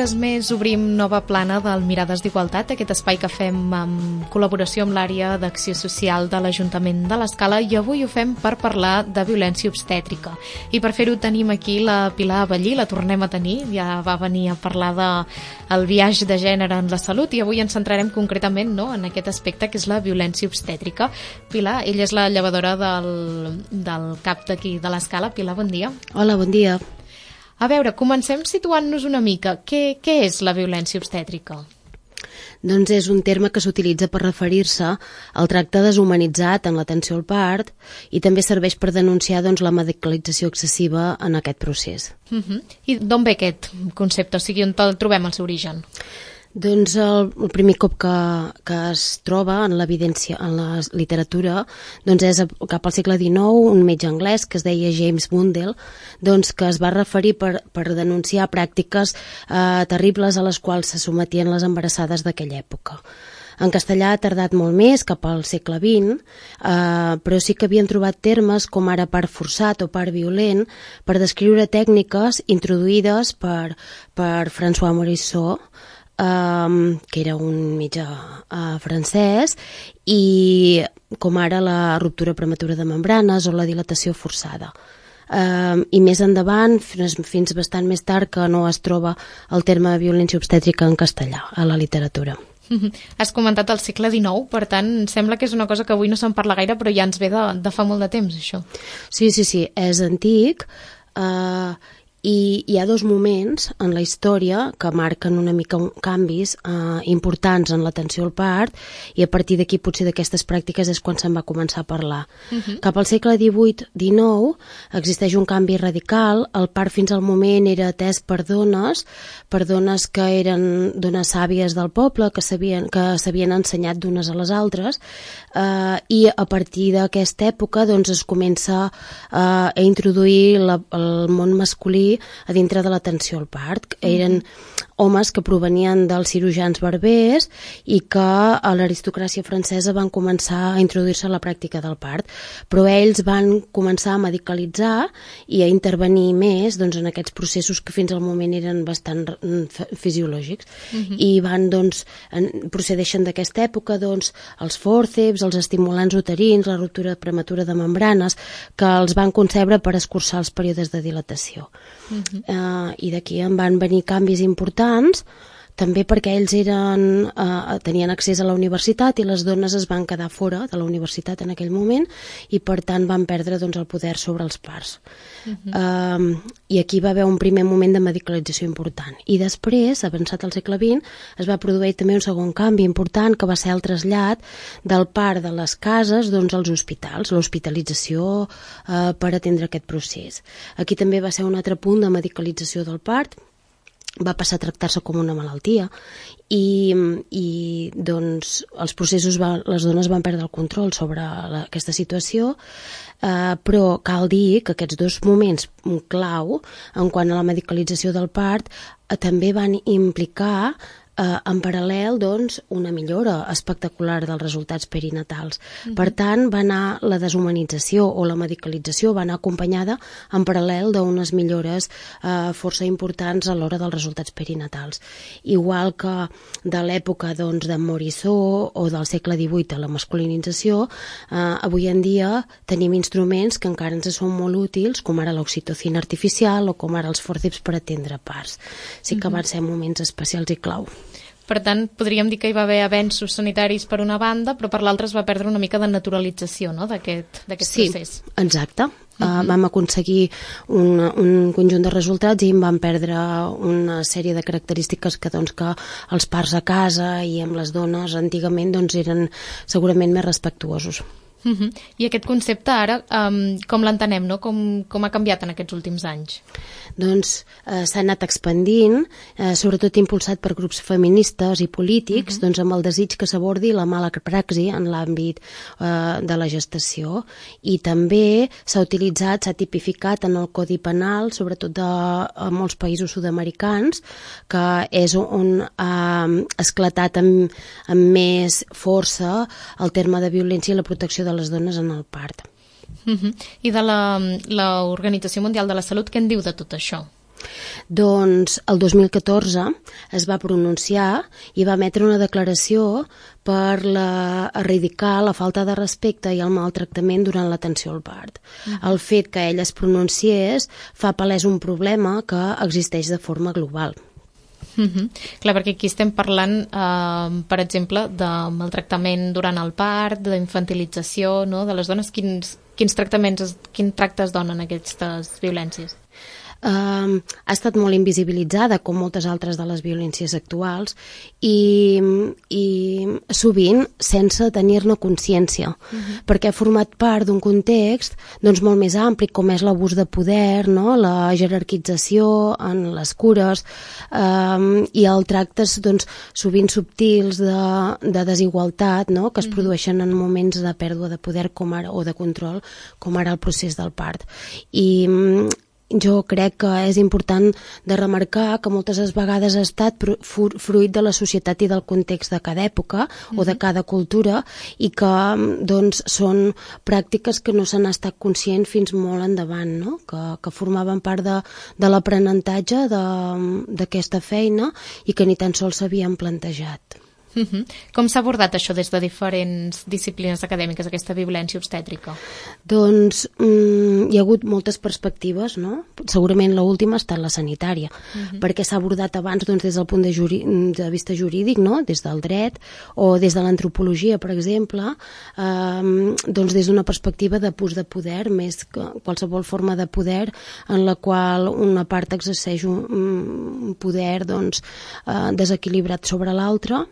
dimecres més obrim nova plana del Mirades d'Igualtat, aquest espai que fem en col·laboració amb l'àrea d'acció social de l'Ajuntament de l'Escala, i avui ho fem per parlar de violència obstètrica. I per fer-ho tenim aquí la Pilar Abellí, la tornem a tenir, ja va venir a parlar del biaix de gènere en la salut, i avui ens centrarem concretament en aquest aspecte que és la violència obstètrica. Pilar, ella és la llevadora del CAP d'aquí de l'Escala. Pilar, bon dia. Hola, bon dia. A veure, comencem situant-nos una mica. Què és la violència obstètrica? Doncs és un terme que s'utilitza per referir-se al tracte deshumanitzat en l'atenció al part i també serveix per denunciar la medicalització excessiva en aquest procés. I d'on ve aquest concepte? O sigui, on el trobem el seu origen? Doncs el primer cop que es troba en l'evidència, en la literatura, és cap al segle XIX, un metge anglès que es deia James Bundell, que es va referir per denunciar pràctiques terribles a les quals se sometien les embarassades d'aquella època. En castellà ha tardat molt més, cap al segle XX, però sí que havien trobat termes com ara part forçat o part violent per descriure tècniques introduïdes per François Morisot, que era un metge francès, i com ara la ruptura prematura de membranes o la dilatació forçada. I més endavant, fins bastant més tard, que no es troba el terme violència obstètrica en castellà a la literatura. Has comentat el segle XIX, per tant, sembla que és una cosa que avui no se'n parla gaire, però ja ens ve de fa molt de temps, això. Sí, és antic, i hi ha dos moments en la història que marquen una mica canvis importants en l'atenció al part, i a partir d'aquí potser d'aquestes pràctiques és quan se'n va començar a parlar. Cap al segle XVIII-XIX existeix un canvi radical. El part fins al moment era atès per dones que eren dones sàvies del poble, que s'havien ensenyat d'unes a les altres, i a partir d'aquesta època es comença a introduir el món masculí a dintre de l'atenció al part. Eren homes que provenien dels cirurgians barbers i que a l'aristocràcia francesa van començar a introduir-se a la pràctica del part, però ells van començar a medicalitzar i a intervenir més en aquests processos que fins al moment eren bastant fisiològics, i van procedeixen d'aquesta època els fòrceps, els estimulants uterins, la ruptura prematura de membranes, que els van concebre per escurçar els períodes de dilatació. I d'aquí en van venir canvis importants, també perquè ells tenien accés a la universitat i les dones es van quedar fora de la universitat en aquell moment, i per tant van perdre el poder sobre els parts. I aquí va haver un primer moment de medicalització important, i després, avançat al segle XX, es va produir també un segon canvi important, que va ser el trasllat del part de les cases als hospitals, l'hospitalització per atendre aquest procés. Aquí també va ser un altre punt de medicalització del part, va passar a tractar-se com una malaltia, i els processos, les dones van perdre el control sobre aquesta situació, però cal dir que aquests dos moments clau en quant a la medicalització del part també van implicar en paral·lel una millora espectacular dels resultats perinatals. Per tant, va anar la deshumanització o la medicalització va anar acompanyada en paral·lel d'unes millores força importants a l'hora dels resultats perinatals. Igual que de l'època de Morisot o del segle XVIII a la masculinització, avui en dia tenim instruments que encara ens són molt útils, com ara l'oxitocina artificial o com ara els fòrceps per atendre parts. Sí que van ser moments especials i clau. Per tant, podríem dir que hi va haver avenços sanitaris per una banda, però per l'altra es va perdre una mica de naturalització d'aquest procés. Sí, exacte. Vam aconseguir un conjunt de resultats i en vam perdre una sèrie de característiques que els parts a casa i amb les dones antigament eren segurament més respectuosos. I aquest concepte ara, com l'entenem, com ha canviat en aquests últims anys? S'ha anat expandint, sobretot impulsat per grups feministes i polítics, amb el desig que s'abordi la mala praxi en l'àmbit de la gestació, i també s'ha utilitzat, s'ha tipificat en el Codi Penal, sobretot a molts països sud-americans, que és on ha esclatat amb més força el terme de violència i la protecció de les dones en el part. I de l'Organització Mundial de la Salut, què en diu de tot això? Doncs el 2014 es va pronunciar i va emetre una declaració per erradicar la falta de respecte i el maltractament durant l'atenció al part. El fet que ell es pronunciés fa palès un problema que existeix de forma global. Clar, perquè aquí estem parlant, per exemple, de maltractament durant el part, d'infantilització, no?, de les dones. Quins tractes donen aquestes violències? Ha estat molt invisibilitzada, com moltes altres de les violències actuals, i sovint sense tenir-ne consciència, perquè ha format part d'un context doncs, molt més ampli, com és l'abús de poder, no? La jerarquització en les cures i els tractes doncs, sovint subtils de desigualtat, no? Que es produeixen en moments de pèrdua de poder o de control, com ara el procés del part. I jo crec que és important de remarcar que moltes vegades ha estat fruit de la societat i del context de cada època o de cada cultura i que doncs, són pràctiques que no s'han estat conscients fins molt endavant, no? Que formaven part de l'aprenentatge d'aquesta feina i que ni tan sols s'havien plantejat. Com s'ha abordat això des de diferents disciplines acadèmiques, aquesta violència obstètrica? Doncs hi ha hagut moltes perspectives, no? Segurament l'última ha estat la sanitària, perquè s'ha abordat abans doncs, des del punt de vista jurídic, no? Des del dret, o des de l'antropologia, per exemple, doncs des d'una perspectiva d'abús de poder, més que qualsevol forma de poder en la qual una part exerceix un poder doncs, desequilibrat sobre l'altra,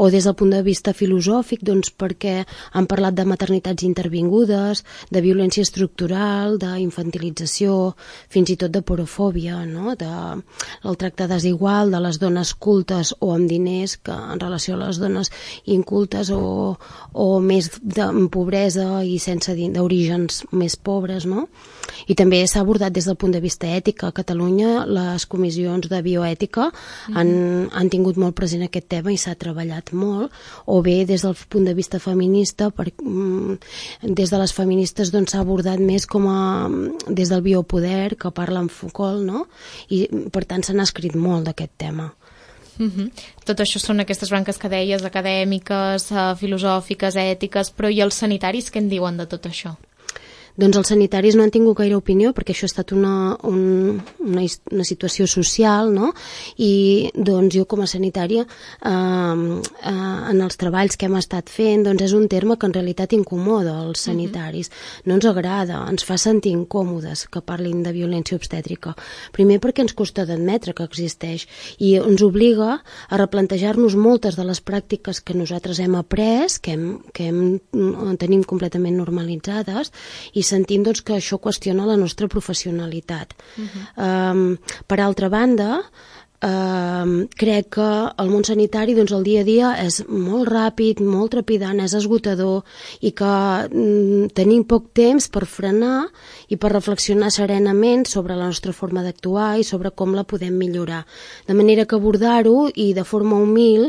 o des del punt de vista filosòfic, doncs perquè han parlat de maternitats intervingudes, de violència estructural, d'infantilització, fins i tot de porofòbia, no? Del tracte desigual de les dones cultes o amb diners que en relació a les dones incultes o més de pobresa i sense d'orígens més pobres, no? I també s'ha abordat des del punt de vista ètic. A Catalunya les comissions de bioètica han tingut molt present aquest tema i s'ha treballat molt, o bé des del punt de vista feminista, des de les feministes doncs, s'ha abordat més com des del biopoder, que parla en Foucault, no? I per tant se n'ha escrit molt d'aquest tema. Tot això són aquestes branques que deies, acadèmiques, filosòfiques, ètiques, però i els sanitaris què en diuen de tot això? Doncs els sanitaris no han tingut gaire opinió perquè això ha estat una situació social, no? I doncs jo com a sanitària en els treballs que hem estat fent doncs és un terme que en realitat incomoda els sanitaris. No ens agrada, ens fa sentir incòmodes que parlin de violència obstètrica. Primer perquè ens costa d'admetre que existeix i ens obliga a replantejar-nos moltes de les pràctiques que nosaltres hem après, que tenim completament normalitzades, i sentim doncs, que això qüestiona la nostra professionalitat. Per altra banda, crec que el món sanitari doncs, el dia a dia és molt ràpid, molt trepidant, és esgotador i que tenim poc temps per frenar i per reflexionar serenament sobre la nostra forma d'actuar i sobre com la podem millorar. De manera que abordar-ho i de forma humil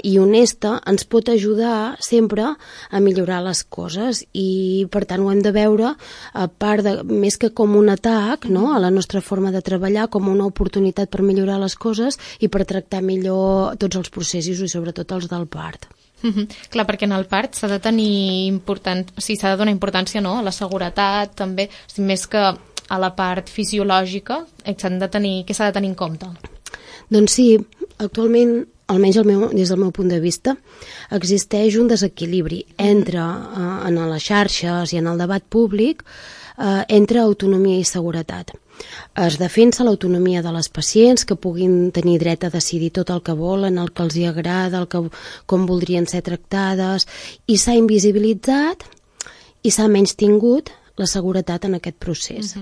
i honesta ens pot ajudar sempre a millorar les coses i per tant ho hem de veure a part de, més que com un atac, no? A la nostra forma de treballar, com una oportunitat per millorar les coses i per tractar millor tots els processos i sobretot els del part. Clar, perquè en el part s'ha de tenir s'ha de donar importància, no? A la seguretat també, més que a la part fisiològica, què s'ha de tenir en compte? Doncs sí, actualment, almenys des del meu punt de vista, existeix un desequilibri entre en les xarxes i en el debat públic entre autonomia i seguretat. Es defensa l'autonomia de les pacients que puguin tenir dret a decidir tot el que volen, el que els hi agrada, com voldrien ser tractades, i s'ha invisibilitzat i s'ha menystingut la seguretat en aquest procés.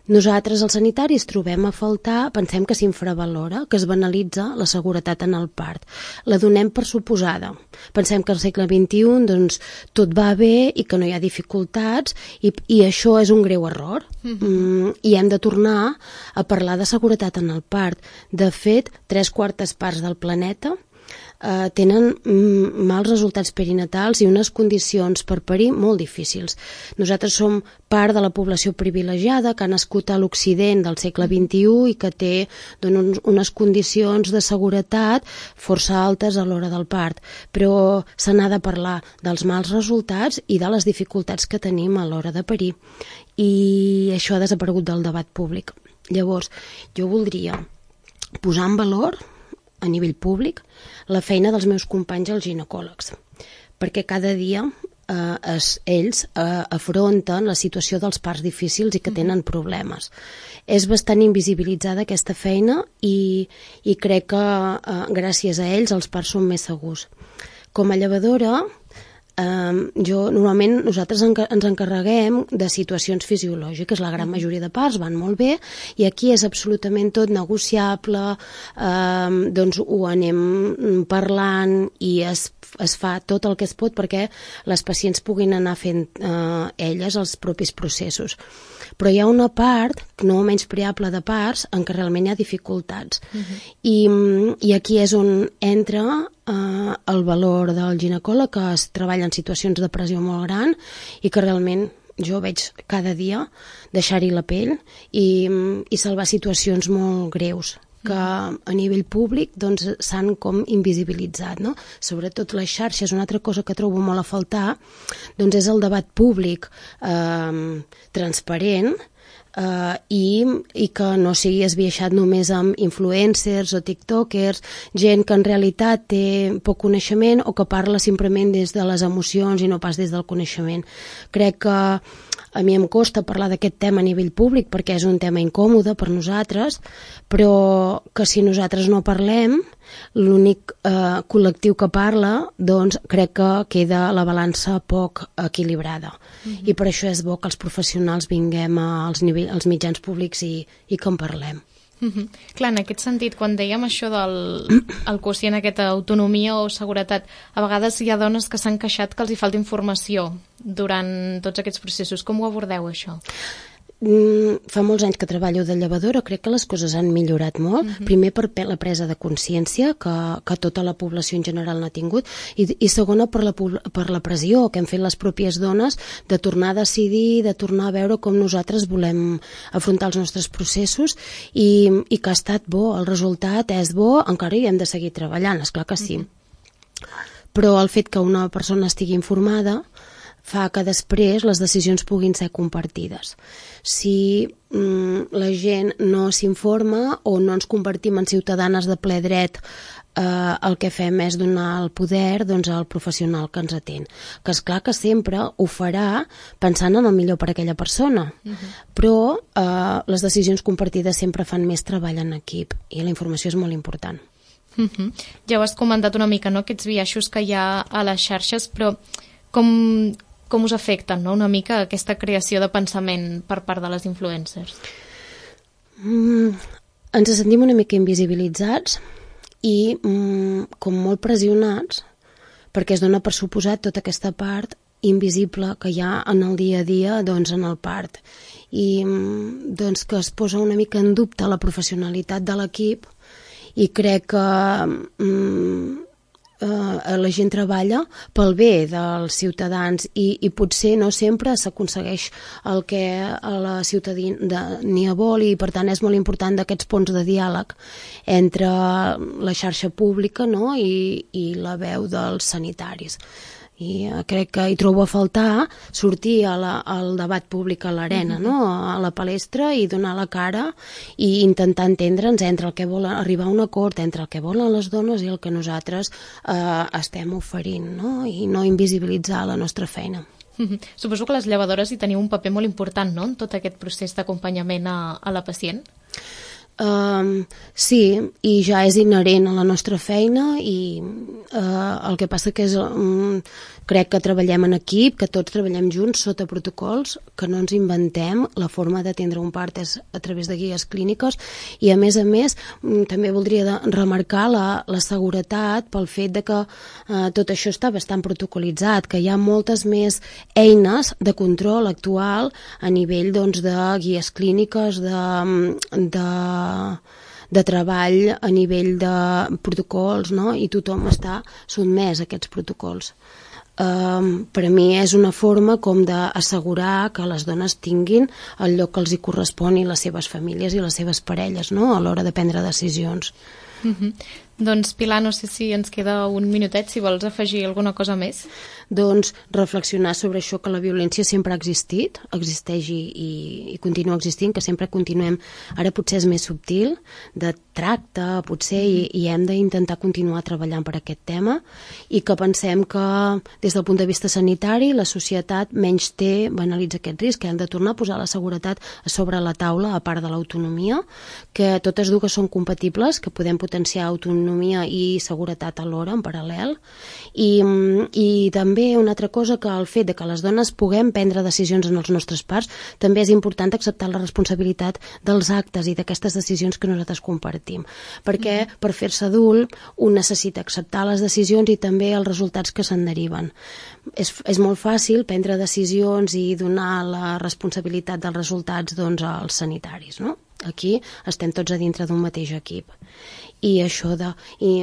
Nosaltres, els sanitaris, trobem a faltar, pensem que s'infravalora, que es banalitza la seguretat en el part. La donem per suposada. Pensem que al segle XXI doncs, tot va bé i que no hi ha dificultats i això és un greu error. I hem de tornar a parlar de seguretat en el part. De fet, 3/4 parts del planeta tenen mals resultats perinatals i unes condicions per parir molt difícils. Nosaltres som part de la població privilegiada que ha nascut a l'Occident del segle XXI i que té unes condicions de seguretat força altes a l'hora del part, però se n'ha de parlar dels mals resultats i de les dificultats que tenim a l'hora de parir, i això ha desaparegut del debat públic. Llavors, jo voldria posar en valor a nivell públic la feina dels meus companys els ginecòlegs, perquè cada dia ells afronten la situació dels parts difícils i que tenen problemes. És bastant invisibilitzada aquesta feina i crec que gràcies a ells els parts són més segurs. Com a llevadora, normalment nosaltres ens encarreguem de situacions fisiològiques, la gran majoria de parts van molt bé i aquí és absolutament tot negociable, doncs ho anem parlant i es fa tot el que es pot perquè les pacients puguin anar fent elles els propis processos. Però hi ha una part no menyspreable de parts en què realment hi ha dificultats. I aquí és on entra el valor del ginecòleg, que es treballa en situacions de pressió molt gran i que realment jo veig cada dia deixar-hi la pell i salvar situacions molt greus que a nivell públic doncs, s'han com invisibilitzat, no? Sobretot les xarxes, una altra cosa que trobo molt a faltar doncs és el debat públic transparent i que no sigui esbiaixat només amb influencers o tiktokers, gent que en realitat té poc coneixement o que parla simplement des de les emocions i no pas des del coneixement. Crec que a mi em costa parlar d'aquest tema a nivell públic perquè és un tema incòmode per nosaltres, però que si nosaltres no parlem, l'únic col·lectiu que parla, doncs crec que queda la balança poc equilibrada. I per això és bo que els professionals vinguem als mitjans públics i que en parlem. Clar, en aquest sentit, quan dèiem això del quocient, aquesta autonomia o seguretat, a vegades hi ha dones que s'han queixat que els hi falta informació durant tots aquests processos. Com ho abordeu, això? Fa molts anys que treballo de llevadora, crec que les coses han millorat molt. Primer per la presa de consciència que tota la població en general n'ha tingut i segona per la pressió que hem fet les pròpies dones de tornar a decidir, de tornar a veure com nosaltres volem afrontar els nostres processos i que ha estat bo, el resultat és bo, encara hi hem de seguir treballant, esclar que sí. Però el fet que una persona estigui informada fa que després les decisions puguin ser compartides. Si la gent no s'informa o no ens convertim en ciutadanes de ple dret, el que fem és donar el poder al professional que ens atén. Que és clar que sempre ho farà pensant en el millor per a aquella persona, però les decisions compartides sempre fan més treball en equip i la informació és molt important. Ja ho has comentat una mica, no?, aquests biaixos que hi ha a les xarxes, però com us afecten, no?, una mica aquesta creació de pensament per part de les influencers? Ens sentim una mica invisibilitzats i com molt pressionats perquè es dona per suposat tota aquesta part invisible que hi ha en el dia a dia en el part i que es posa una mica en dubte la professionalitat de l'equip i crec que la gent treballa pel bé dels ciutadans i potser no sempre s'aconsegueix el que la ciutadania vol i per tant és molt important d'aquests ponts de diàleg entre la xarxa pública, no?, i la veu dels sanitaris. I crec que hi trobo a faltar sortir al debat públic a l'arena, no?, a la palestra i donar la cara i intentar entendre'ns entre el que volen arribar a un acord, entre el que volen les dones i el que nosaltres estem oferint, no?, i no invisibilitzar la nostra feina. Suposo que les llevadores hi teniu un paper molt important, no?, en tot aquest procés d'acompanyament a la pacient? Sí, i ja és inherent a la nostra feina i el que passa que és crec que treballem en equip, que tots treballem junts sota protocols, que no ens inventem, la forma d'atendre un part és a través de guies clíniques i a més també voldria remarcar la seguretat pel fet de que tot això està bastant protocolitzat, que hi ha moltes més eines de control actual a nivell de guies clíniques, de treball a nivell de protocols, no? I tothom està sotmès a aquests protocols. Per a mi és una forma com d'assegurar que les dones tinguin el lloc que els hi correspon i les seves famílies i les seves parelles, no? A l'hora de prendre decisions. Doncs Pilar, no sé si ens queda un minutet, si vols afegir alguna cosa més. Doncs reflexionar sobre això, que la violència sempre ha existit, existeix i continua existint, que sempre continuem, ara potser és més subtil, de tracte, potser, i hem d'intentar continuar treballant per aquest tema, i que pensem que des del punt de vista sanitari la societat menys banalitza aquest risc, que hem de tornar a posar la seguretat a sobre la taula, a part de l'autonomia, que totes dues són compatibles, que podem potenciar autonomia i seguretat alhora, en paral·lel, i també una altra cosa, que el fet de que les dones puguem prendre decisions en els nostres parts, també és important acceptar la responsabilitat dels actes i d'aquestes decisions que nosaltres compartim, perquè per fer-se adult un necessita acceptar les decisions i també els resultats que se'n deriven. És molt fàcil prendre decisions i donar la responsabilitat dels resultats als sanitaris, no? Aquí estem tots a dintre d'un mateix equip. I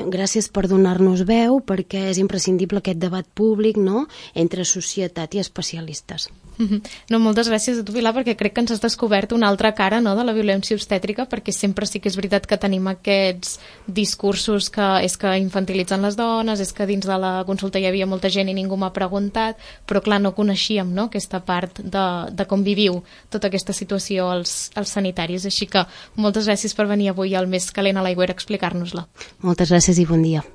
gràcies per donar-nos veu, perquè és imprescindible aquest debat públic, no?, entre societat i especialistes. No, moltes gràcies a tu, Pilar, perquè crec que ens has descobert una altra cara, no?, de la violència obstètrica, perquè sempre sí que és veritat que tenim aquests discursos que és que infantilitzen les dones, és que dins de la consulta hi havia molta gent i ningú m'ha preguntat, però clar, no coneixíem, no?, aquesta part de com viviu tota aquesta situació als sanitaris. Així que moltes gràcies per venir avui al Més Calent a l'Aigüera a explicar-nos-la. Moltes gràcies i bon dia.